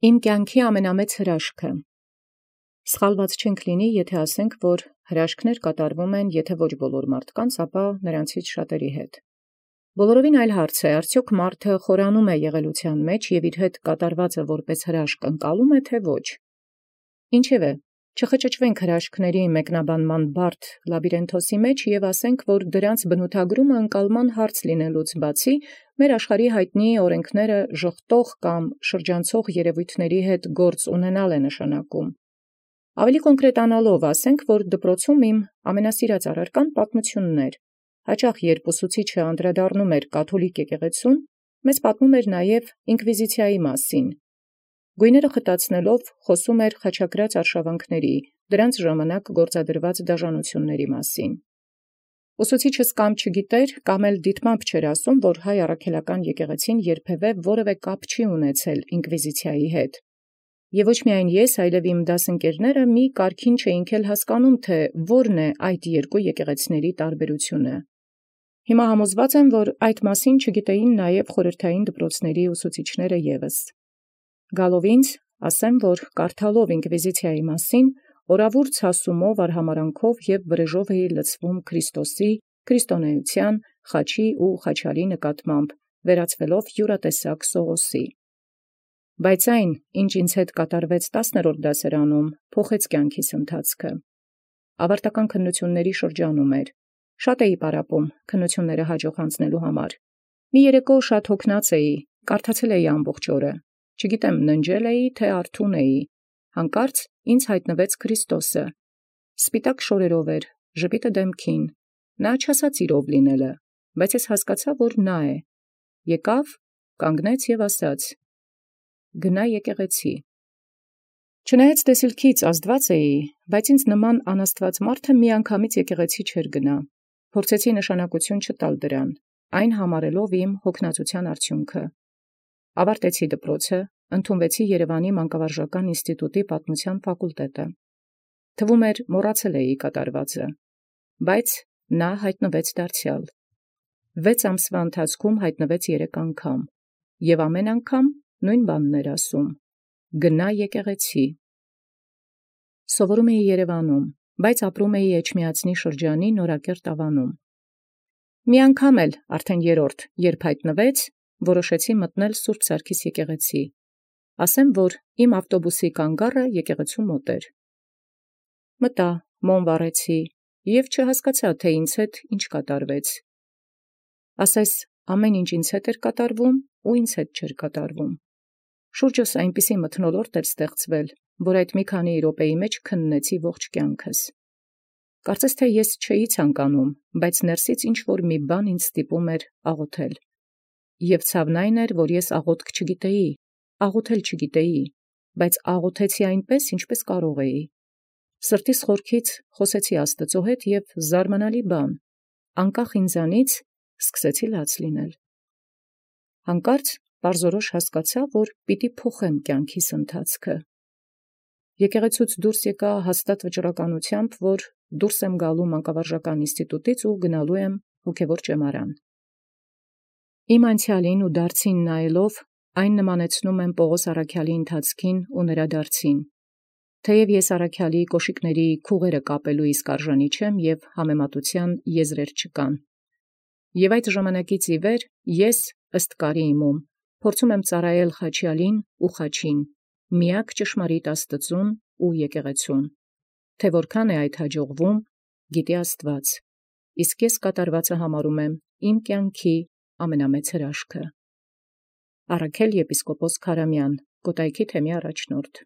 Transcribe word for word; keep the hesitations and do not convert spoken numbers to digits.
Իմ կյանքի ամենամեծ հրաշքը։ Սխալված չենք լինի, եթէ ասենք, որ հրաշքներ կատարվում են, եթէ ոչ բոլոր մարդկանց, ապա նրանցից շատերի հետ։ Բոլորովին այլ հարց է, արդյոք մարդը խորանում է եղելության մեջ և իր հետ կատարվածը որպես հրաշք ընկալում է, թե ոչ։ Ինչևէ, չխճճվենք հրաշքների մեկնաբանման բարդ լաբիրինթոսի մեջ և ասենք, որ դրանց բնութագրումը ընկալման հարց լինելուց բացի, մեր աշխարհի հայտնի օրենքները ժխտող կամ շրջանցող երևույթների հետ գործ ունենալ է նշանակում։ Ավելի կոնկրետանալով ասենք, որ դպրոցում իմ ամենասիրած առարկան պատմությունն էր։ Հաճախ երբ ուսուցիչը անդրադառնում էր կաթոլիկ եկեղեցուն, մեզ պատմում էր նաև ինկվիզիցիայի մասին։ Գույները խտացնելով խոսում էր խաչակրաց արշավանքների, դրանց ժամանակ գործադրված դաժանությունների մասին։ Ուսուցիչս կամ չգիտեր, կամ էլ դիտմամբ չէր ասում, որ հայ առաքելական եկեղեցին երբևէ որևէ կապ չի ունեցել ինկվիզիցիայի հետ։ Եվ ոչ միայն ես, այլև իմ դասընկերները մի կարգին չէինք էլ հասկանում, թե որն է այդ երկու եկեղեցիների տարբերությունը։ Հիմա համոզված եմ, որ այդ մասին չգիտեին նաև խորհրդային դպրոցների ուսուցիչները ևս։ Գալով ինձ, ասեմ, որ կարդալով ինկվիզիցիայի մասին, օրավուր ցասումով, արհամարանքով և վրեժով էի լցվում Քրիստոսի, քրիստոնեության, խաչի ու խաչալի նկատմամբ, վերածվելով յուրատեսակ Սողոսի։ Բայց այն, ինչ ինձ հետ կատարվեց տասներորդ դասարանում, փոխեց կյանքիս ընթացքը։ Ավարտական քննությունների շրջանում էր։ Շատ էի պարապում քննությունները հաջող անցնելու համար։ Մի երեկո շատ հոգնած էի, կարդացել էի ամբողջ օրը։ Չգիտեմ ննջել էի, թե արթուն էի։ Հանկարծ ինձ հայտնվեց Քրիստոսը։ Սպիտակ շորերով էր, ժպիտը դեմքին։ Նա չասաց իրով լինելը, բայց ես հասկացա, որ նա է։ Եկավ, կանգնեց և ասաց. «Գնա եկեղեցի»։ Չնայած տեսիլքից ազդված էի, բայց ինձ նման անաստված մարդը միանգամից եկեղեցի չէր գնա։ Փորձեցի նշանակություն չտալ դրան, այն համարելով իմ հոգնածության արդյունքը։ Ավարտեցի դպրոցը, ընդունվեցի Երևանի մանկավարժական ինստիտուտի պատմության ֆակուլտետը։ Թվում էր մոռացել էի կատարվածը, բայց նա հայտնվեց դարձյալ։ Վեց ամսվա ընթացքում հայտնվեց երեք անգամ, և ամեն անգամ նույն բանն էր ասում. «Գնա եկեղեցի»։ Սովորում էի Երևանում, բայց ապրում էի Էջմիածնի շրջանի Նորակերտ ավանում։ Մի անգամ էլ, արդեն երրորդ, երբ հայտնվեց, որոշեցի մտնել Սուրբ Սարգիս եկեղեցի։ Ասեմ, որ իմ ավտոբուսի կանգառը եկեղեցու մոտ էր։ Մտա, մոմ վառեցի և չհասկացա, թե ինձ հետ ինչ կատարվեց։ Ասես ամեն ինչ ինձ հետ էր կատարվում ու ինձ հետ չէր կատարվում։ Շուրջս այնպիսի մթնոլորտ էր ստեղծվել, որ այդ մի քանի րոպեի մեջ քննեցի ողջ կյանքս։ Կարծես թե ես չէի ցանկանում, բայց ներսից ինչ-որ մի բան ինձ ստիպում էր աղոթել։ Եվ ցավն այն էր, որ ես աղոթք չգիտեի, աղոթել չգիտեի, բայց աղոթեցի այնպես, ինչպես կարող էի։ Սրտիս խորքից խոսեցի Աստծո հետ և զարմանալի բան, անկախ ինձանից սկսեցի լաց լինել։ Հանկարծ պարզորոշ հասկացա, որ պիտի փոխեմ կյանքիս ընթացքը։ Եկեղեցուց դուրս եկա հաստատ վճռականությամբ, որ դուրս եմ գալու մանկավարժական ինստիտուտից ու գնալու եմ հոգևոր ճեմարան։ Իմ անցյալին ու դարձին նայելով, այն նմանեցնում եմ Պողոս առաքյալի ընթացքին ու նրա դարձին։ Թեև ես առաքյալի կոշիկների քուղերը կապելու իսկ արժանի չեմ և համեմատության եզրեր չկան։ Եվ այդ ժամանակից ի վեր ես, ըստ կարի իմում, փորձում եմ ծառայել խաչյալին ու խաչին, միակ ճշմարիտ Աստծուն ու եկեղեցուն։ Թե որքան է այդ հաջողվում, գիտի Աստված, իսկ ես կատարվածը համարում եմ իմ կյանքի ամենամեծ հրաշքը։ Առաքել եպիսկոպոս Քարամյան, Կոտայքի թեմի առաջնորդ։